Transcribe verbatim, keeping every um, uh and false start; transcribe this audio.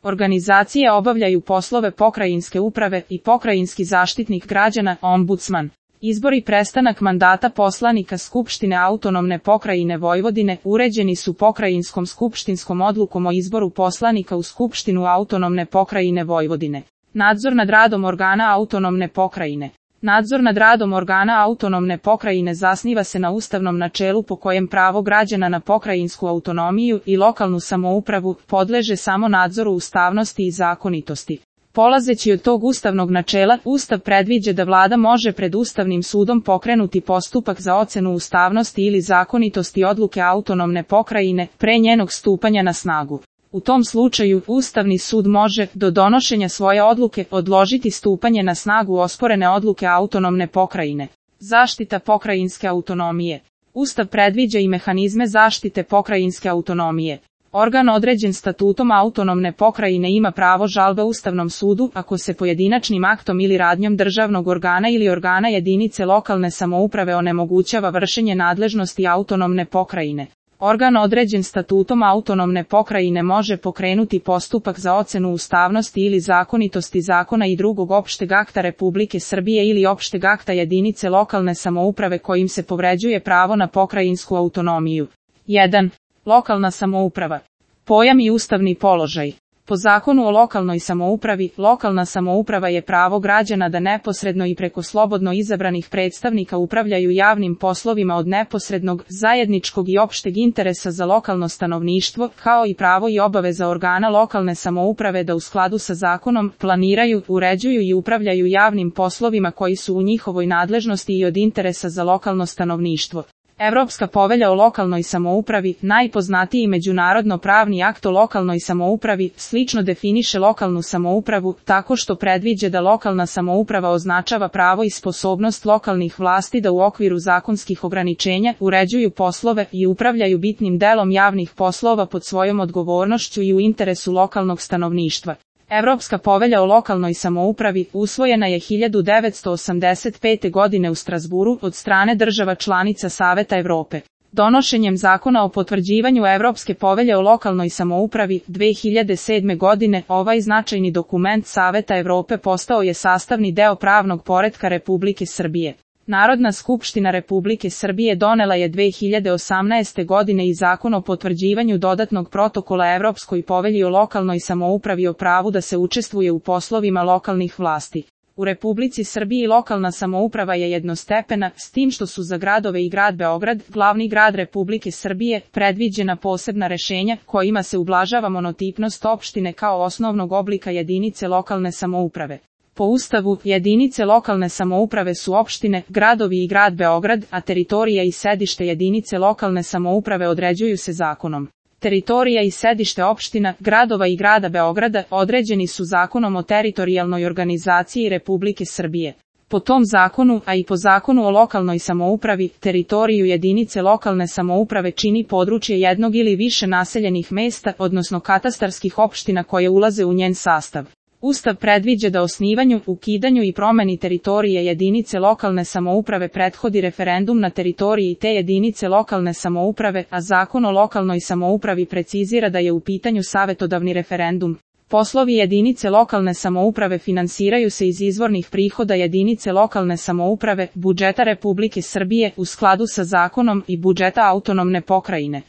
Organizacije obavljaju poslove pokrajinske uprave i pokrajinski zaštitnik građana, ombudsman. Izbor i prestanak mandata poslanika Skupštine autonomne pokrajine Vojvodine uređeni su pokrajinskom skupštinskom odlukom o izboru poslanika u Skupštinu autonomne pokrajine Vojvodine. Nadzor nad radom organa autonomne pokrajine. Nadzor nad radom organa autonomne pokrajine zasniva se na ustavnom načelu po kojem pravo građana na pokrajinsku autonomiju i lokalnu samoupravu podleže samo nadzoru ustavnosti i zakonitosti. Polazeći od tog ustavnog načela, Ustav predviđa da vlada može pred Ustavnim sudom pokrenuti postupak za ocenu ustavnosti ili zakonitosti odluke autonomne pokrajine pre njenog stupanja na snagu. U tom slučaju, Ustavni sud može, do donošenja svoje odluke, odložiti stupanje na snagu osporene odluke autonomne pokrajine. Zaštita pokrajinske autonomije. Ustav predviđa i mehanizme zaštite pokrajinske autonomije. Organ određen statutom autonomne pokrajine ima pravo žalbe Ustavnom sudu ako se pojedinačnim aktom ili radnjom državnog organa ili organa jedinice lokalne samouprave onemogućava vršenje nadležnosti autonomne pokrajine. Organ određen statutom autonomne pokrajine može pokrenuti postupak za ocenu ustavnosti ili zakonitosti zakona i drugog opšteg akta Republike Srbije ili opšteg akta jedinice lokalne samouprave kojim se povređuje pravo na pokrajinsku autonomiju. jedan. Lokalna samouprava. Pojam i ustavni položaj. Po Zakonu o lokalnoj samoupravi, lokalna samouprava je pravo građana da neposredno i preko slobodno izabranih predstavnika upravljaju javnim poslovima od neposrednog, zajedničkog i opšteg interesa za lokalno stanovništvo, kao i pravo i obaveza organa lokalne samouprave da u skladu sa zakonom planiraju, uređuju i upravljaju javnim poslovima koji su u njihovoj nadležnosti i od interesa za lokalno stanovništvo. Evropska povelja o lokalnoj samoupravi, najpoznatiji međunarodno pravni akt o lokalnoj samoupravi, slično definiše lokalnu samoupravu, tako što predviđa da lokalna samouprava označava pravo i sposobnost lokalnih vlasti da u okviru zakonskih ograničenja uređuju poslove i upravljaju bitnim delom javnih poslova pod svojom odgovornošću i u interesu lokalnog stanovništva. Evropska povelja o lokalnoj samoupravi usvojena je hiljadu devetsto osamdeset pete. godine u Strazburu od strane država članica Saveta Evrope. Donošenjem Zakona o potvrđivanju Evropske povelje o lokalnoj samoupravi dve hiljade sedme. godine ovaj značajni dokument Saveta Evrope postao je sastavni deo pravnog poretka Republike Srbije. Narodna skupština Republike Srbije donela je dve hiljade osamnaeste. godine i Zakon o potvrđivanju dodatnog protokola Evropskoj povelji o lokalnoj samoupravi o pravu da se učestvuje u poslovima lokalnih vlasti. U Republici Srbiji lokalna samouprava je jednostepena, s tim što su za gradove i grad Beograd, glavni grad Republike Srbije, predviđena posebna rešenja kojima se ublažava monotipnost opštine kao osnovnog oblika jedinice lokalne samouprave. Po Ustavu, jedinice lokalne samouprave su opštine, gradovi i grad Beograd, a teritorija i sedište jedinice lokalne samouprave određuju se zakonom. Teritorija i sedište opština, gradova i grada Beograda određeni su Zakonom o teritorijalnoj organizaciji Republike Srbije. Po tom zakonu, a i po Zakonu o lokalnoj samoupravi, teritoriju jedinice lokalne samouprave čini područje jednog ili više naseljenih mesta, odnosno katastarskih opština koje ulaze u njen sastav. Ustav predviđa da osnivanju, ukidanju i promeni teritorije jedinice lokalne samouprave prethodi referendum na teritoriji te jedinice lokalne samouprave, a Zakon o lokalnoj samoupravi precizira da je u pitanju savetodavni referendum. Poslovi jedinice lokalne samouprave finansiraju se iz izvornih prihoda jedinice lokalne samouprave, budžeta Republike Srbije u skladu sa zakonom i budžeta autonomne pokrajine.